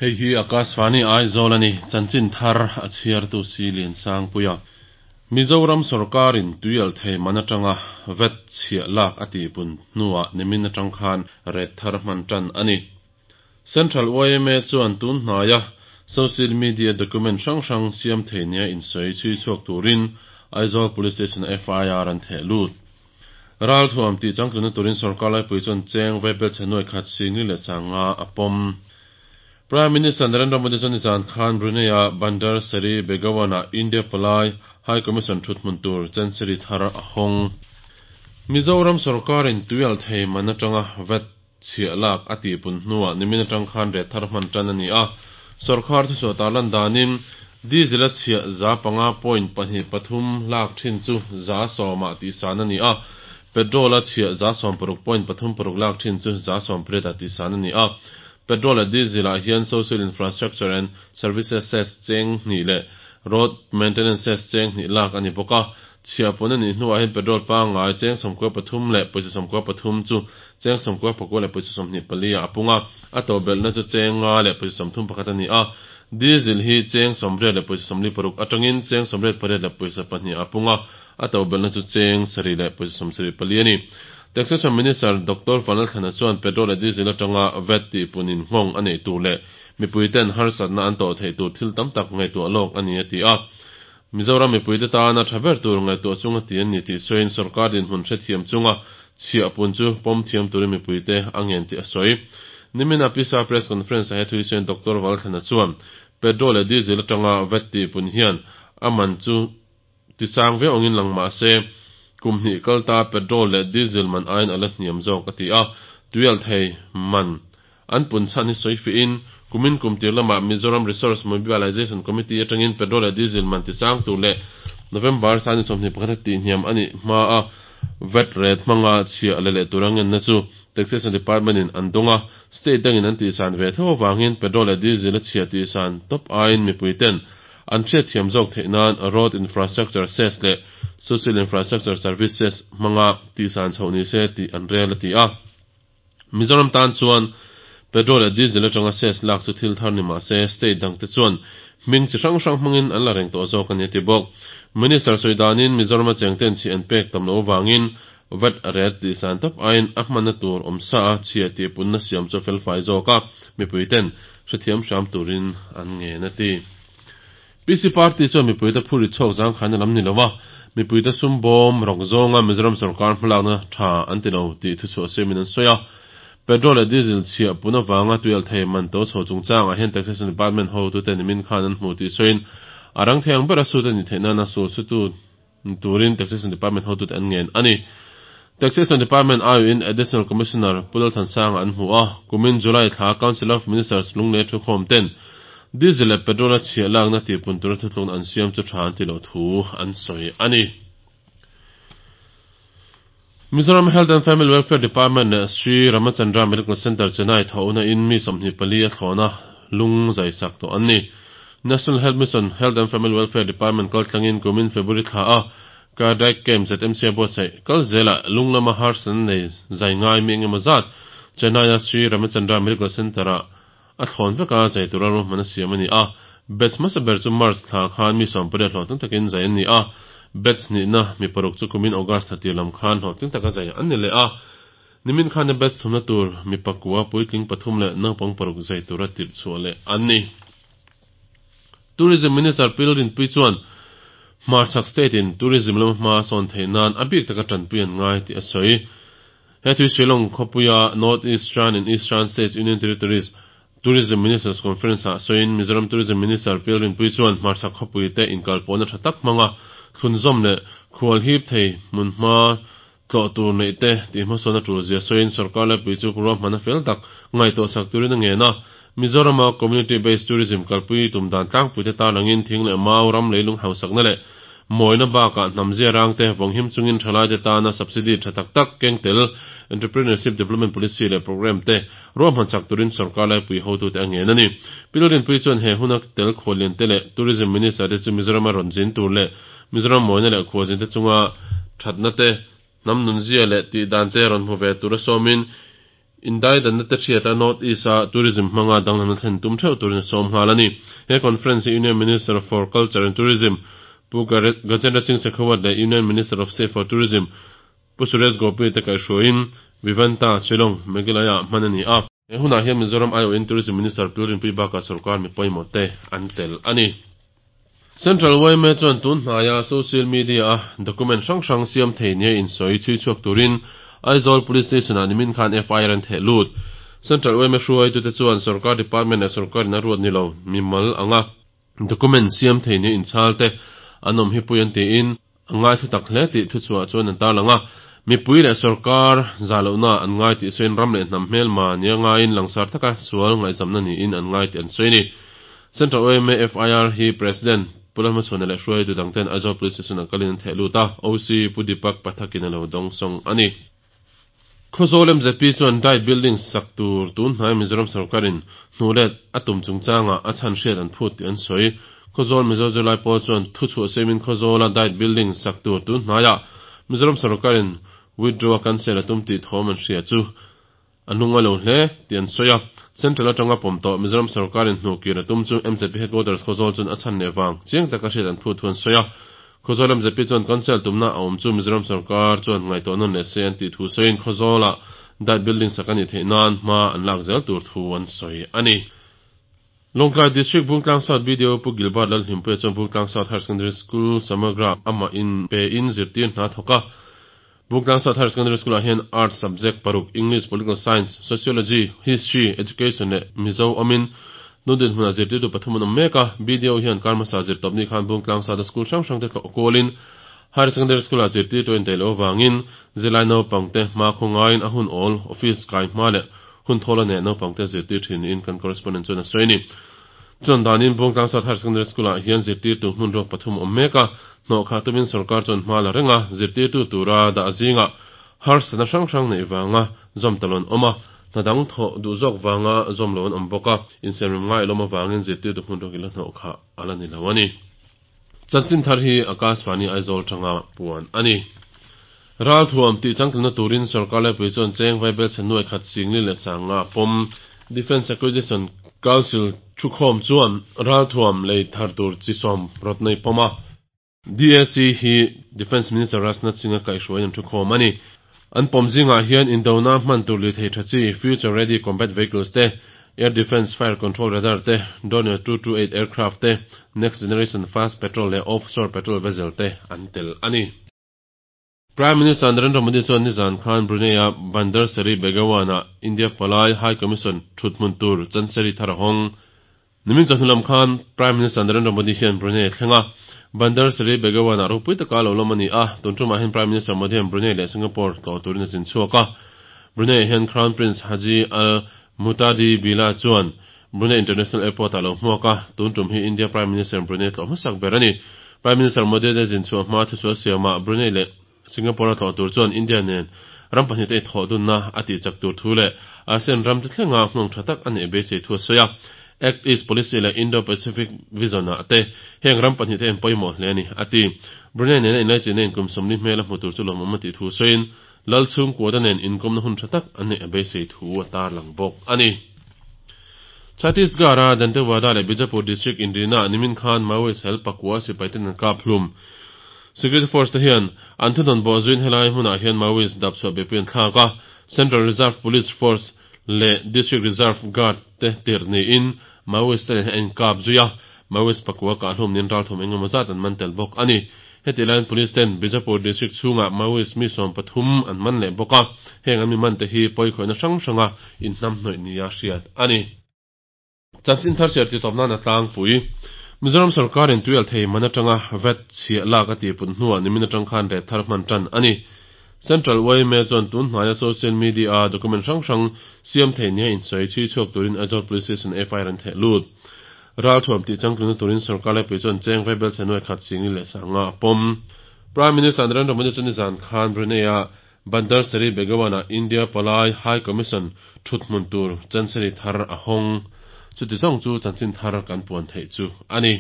Hei hi Akashvani Aizawl a ni, chanchin thar a chhiartu si Liansangpuia. Mizoram sawrkarin tuialhthei man atanga vat chhiah lak a tihpun hnuah nimin atang khan rate thar hman tan a ni. Central yma chuan tun hnaia social media document hrang hrang siam thei nia insawi chhui chhuak turin Aizawl Police Station-ah FIR an theh lut. Ralthuam tih changtlunna turin sawrkar laipui chuan cheng vaibelchhe nuai khat singli leh sanga a pawm. Prime Minister Narendra Modi chuan nizan khan Brunei-a Bandar Seri Begawan-ah India palai High Commission thuthmun tur Chancery thar a hawng. Mizoram sawrkarin tuialhthei man atanga vat chhiah lak a tihpun hnuah nimin atang khan rate thar hman tan a ni a. Sawrkar thuchhuah tarlan danin diesel-a chhiah 5.23 lak thin chu 10% tihsan a ni a, petrol-a chhiah 16.36 lak thin chu 18% tihsan a ni a. Petrol leh diesel-ah hian Social Infrastructure and Services Cess cheng hnih leh Road Maintenance Cess cheng hnih lak a ni bawk a. Chhiah pun a nih hnuah hian petrol pangngai cheng 93 leh pawisa 93 chu cheng 99 leh pawisa 24 ah a pung a, a to belhna chu cheng 5 leh pawisa 31 a ni a. Diesel hi cheng 80 leh pawisa 46 atangin cheng 88 leh pawisa 2 a pung a, a to belhna chu cheng 7 leh pawisa 74 a ni. Taxation Minister Dr. Vanlalthlana chuan petrol leh diesel atanga VAT tihpunin nghawng a neih tur leh mipuiten harsatna an tawh theih tur thil tam tak ngaihtuah lawk a ni a ti a. Mizoram mipuite tana tha ber tur ngaihtuah chunga ti an ni tih sawiin sawrkar dinhmun hrethiam chunga chhiah pun chu pawm thiam turin mipuite a ngen tih a sawi. Nimina Pisa Press Conference a he thui sawiin Dr. Vanlalthlana chuan petrol leh diesel atanga VAT tihpun hian a man chu tisang viau angin lang mah se kum hnih kalta petrol leh diesel man aiin ala hniam zawk a ti a. Tuialhthei man an pun chhan hi sawi fiin kumin kum tir lamah Mizoram Resource Mobilization Committee atangin petrol leh diesel man tisang tur leh November sani 21 tih hniam ani hma a VAT rate hmanga chhiah le leh tur angenna chu Taxation Department in an dawnga state dangin an tihsan ve tho awangin petrol leh diesel a chhiah tihsan top aiin mipuiten an hriat thiam zawk theih nan road infrastructure cess leh social infrastructure services hmanga tihsan chhoh ni se tih an rel a ti a. Mizoram tan chuan petrol leh diesel atanga cess lak chu thil thar ni mah se state dangte chuan hming chi hrang hrang hmangin an la reng tawh zawk a ni a ti bawk. Minister sawi danin Mizoram a chengten chhiah an pek tam loh awangin VAT rate tihsan top aiin a hmanna tur awm sa a chhiah tihpunna siam chu felfai zawk a mipuiten hrethiam hram turin an ngen a ti. PC Party chuan mipuite phuri chhawk zangkhaina lam ni lova mipuite sum bawm rawk zawnga Mizoram sawrkar hmalakna tha an ti lo tih thuchhuah siamin an sawi a. Petrol leh diesel chhiah pun awanga tuialhthei man to chho chungchangah hian Taxation Department hotute nimin khan an hmu tih sawiin a rang thei ang ber a sut a ni theih nana sul sutu turin Taxation Department hotute an ngen a ni. Taxation Department aiin Additional Commissioner Pu Lalthansanga an hmu a, kumin July thla Council of Ministers lunglei thu khawm ten diesel leh petrol a chhiah lakna tihpun tura thutlukna an siam chu tha an ti lo thu an sawi a ni. Mizoram Health and Family Welfare Department leh Sri Ramachandra Medical Center Chennai thawhna in mi 24 a thlawna lung zai sak tawh an ni. National Health Mission Health and Family Welfare Department kaltlangin kumin February thla a Cardiac Camp ZMC a buatsaih kal zela lung lama harsatna nei zai ngai mi engemaw zat Chennai a Sri Ramachandra Medical Center a a thlawn veka zai tura ruahman a siam a ni a. Batch hmasa ber chu March thla khan mi 18 hlawhtling takin zai an ni a. Batch hnihna mi paruk chu kumin August thla tir lam khan hlawhtling taka zai an ni leh a. Nimin khan a batch thumna tur mi pakua puitling pathum leh naupang paruk zai tura tirh chhuah leh an ni. Tourism Minister Pi Lalrinpuii chuan Hmarchhak State in tourism lama hma sawn theih nan a bik taka tanpui an ngai tih a sawi. He thui Shillong khawpuia North Eastern and Eastern States Union Territories Tourism Ministers Conference ah sawiin Mizoram Tourism Minister Pi Lalrinpuii chuan Hmarchhak khawpui te inkalpawhna tha tak hmanga thlunzawm leh khual hip thei hmun hma tlawh tur neih te tih hmasawn a tul zia sawiin sawrkar laipui chu ruahman a fel tak ngaihtuah sak turin a ngen a. Mizorama community based tourism kalpui tum dan tlangpui te tarlangin thing leh mau ram leilung hausakna leh mawina bakah hnam zia rang te vawnghim chungin thalai te tana subsidy tha tak tak keng tel entrepreneurship development policy leh program te ruahman sak turin sawrkar laipui hotute a ngen a ni. Pi Lalrinpuii chuan he huna tel khuallian te leh tourism minister te chu Mizorama rawn zin tur leh Mizoram mawina leh khualzin te chunga thatna te hnam nun zia leh tih dan te rawn hmu ve tura sawmin Indaidanna te hriata North East-a tourism hmanga danglamna thlen tum theuh turin a sawm nghal a ni. He conference hi Union Minister for Culture and Tourism Pu Gajendra Singh Shekhawat leh Union Minister of State for Tourism Pu Suresh Gopi te kaihhruaiin Vivanta, Shillong, Meghalaya-ah hman a ni a. He hunah hian Mizoram aiawhin Tourism Minister Pu Rinpui bakah sorkar mi pawimawh te an tel a ni. Central yma chuan tun hnaia social media-a document hrang hrang siam thei nia insawi chhui chhuak turin Aizawl Police Station-ah nimin khan FIR an theh lut. Central yma hruaitute chuan sorkar department leh sorkarin a ruat ni lo mimal anga document siam thei nia inchhal te an awm hi pui an tiin a ngai thu tak hle tih thuchhuah chuan an tarlang a. Mipui leh sorkar zah lohna an ngai tih sawiin ram leh hnam hmelma nia ngaiin langsar taka sual ngaihzamna niin an ngai tih an sawi a ni. Central yma FIR hi President Pu Lalhmachhuana leh hruaitu dangten Aizawl Police Station-ah kalin an theh lut a, OC Pu Deepak Pathakin a lo dawngsawng a ni. Khawzawl MZP chuan Diet Building sak tur tun hnai Mizoram sorkarin hnuhlet a tum chungchangah a chhan hriat an phut tih an sawi. Khawzawl Mizo zirlai pawl chuan thuchhuah siamin Khawzawla Diet Building sak tur tun hnaiah Mizoram sorkarin withdraw a cancel a tum tih thawm an hria chu a hnung a lo hle tih an sawi a. Central atanga pawm tawh Mizoram sorkarin hnuhkir a tum chu MZP Headquarters Khawzawl chuan a chhan leh vang chiang taka hriat an phut thu an sawi a. Khawzawl MZP chuan cancel tumna a awm chu Mizoram sorkar chuan ngaihtuah nawn leh se an tih thu sawiin Khawzawlah Diet Building sak a nih theih nan hma an lak zel tur thu an sawi a ni. Lawngtlai District Bungtlang South BDO Pu Gilbert Lalhlimpuia chuan Bungtlang South Higher Secondary School Samagra amah in pe in zirtir hna thawk a. Bungtlang South Higher Secondary School ah hian Arts subject paruk, English, Political Science, Sociology, History, Education leh Mizo awmin tun dinhmunah zirtirtu pathum an awm mek a. BDO hian kar hmasa zirtawpni khan Bungtlang South-a school hrang hrangte tlawh kualin Higher Secondary School-ah zirtirtu a indaih loh avangin zirlai naupangte hma khaw ngaiin a hun awl, office kai hma leh hun thawl a neh naupangte zirtir thin niin kan correspondent chuan a sawi a ni. Chuan danin Bungtlang South Higher Secondary School-ah hian zirtirtu hmun ruak pathum a awm mek a, hnawhkhah tumin sorkar chuan hma la reng a, zirtirtu tura dah zingah harsatna hrang hrang neih vanga zawm ta lo an awm a, hna dang thawh duh zawk vanga zawm lo an awm bawk a, insiamrem ngai alawm avangin zirtirtu hmun ruak ila hnawhkhah a la ni lo a ni. Chanchin thar hi Akashvani Aizawl tanga puan a ni. Ralthuam tih changtlunna turin sorkar laipui chuan cheng vaibel chhe nuai khat singli leh sanga pawm Defence Acquisition Council thukhawm chuan ralthuam lei thar tur chi sawm rawt nei pawm a. DAC hi Defence Minister Rajnath Singh-a kaihhruaiin an thukhawm a ni. An pawm zingah hian indona hman tur lirthei tha chi, Future Ready Combat Vehicles te, Air Defence Fire Control Radar te, Dornier 228 Aircraft te, Next Generation Fast Patrol leh Offshore Patrol Vessel te an tel a ni. Prime Minister Narendra Modi chuan nizan khan Brunei-a Bandar Seri Begawan-ah India palai High Commission thuthmun tur Chancery thar a hawng. Nimin chawhnu lam khan Prime Minister Narendra Modi hian Brunei a thleng a, Bandar Seri Begawan-ah ropui taka lo lawm a ni a, tun tumah hian Prime Minister Modi hian Brunei leh Singapore tlawh turin a zin chhuak a. Brunei-ah hian Crown Prince Haji Al Muhtadi Billah chuan Brunei International Airport-ah lo hmuak a, tun tum hi India Prime Minister Brunei tlawh hmasak ber a ni. Prime Minister Modi a zin chhuah hma thusual siamah Brunei leh Singapore-a tlawh tur chuan India nen ram pahnihte i thawh dunna a tih chak tur thu leh ASEAN ramte thlenga nghawng tha tak a neih beisei thu a sawi a. Act East Policy leh Indo-Pacific Vision-ah te heng ram pahnihte en pawimawh hle a ni, a ti. Brunei nena inlaichinna in kum 40 hmel a hmu tur chu lawmawm a tih thu sawiin Lal chhungkuata nen inkawmna hun tha tak an neih a beisei thu a tarlang bawk a ni. Chhattisgarh-a Dantewada leh Bijapur district inrina nimin khan Maoist hel pakua sipaiten an kap hlum. Security Force te hian an thunawn bawh zuiin helai hmunah hian Maoist dap chhuah beihpui an thlak a, Central Reserve Police Force leh District Reserve Guard te tirh niin Maoist te nen hian an inkap zui a, Maoist pakua kah hlum niin ralthum engemaw zat an man tel bawk a ni. Hetih laiin Police ten Bijapur District chhungah Maoist mi 13 an man leh bawk a, heng an mi man te hi pawikhawihna hrang hranga inhnamhnawih nia hriat a ni. Chanchin thar chhiar titawp nan a tlangpui. Mizoram sorkarin tuialthei man atanga vat chhiah lak a tihput hnuah nimin atang khan ret thar hman tan a ni. Central yma chuan tun hnaia social media-a document hrang hrang siam thei nia insawi chhui chhuak turin Aizawl Police Station FIR an theh lut. Ralthuam tih changtlunna turin sorkar laipui chuan cheng vaibel chhe nuai khat singli leh sanga a pawm. Prime Minister Narendra Modi chu nizan khan Brunei-a Bandar Seri Begawan-ah India palai High Commission thuthmun tur Chancery thar a hawng. Chuti zawng chu chanchin thar kan puan theih chu a ni.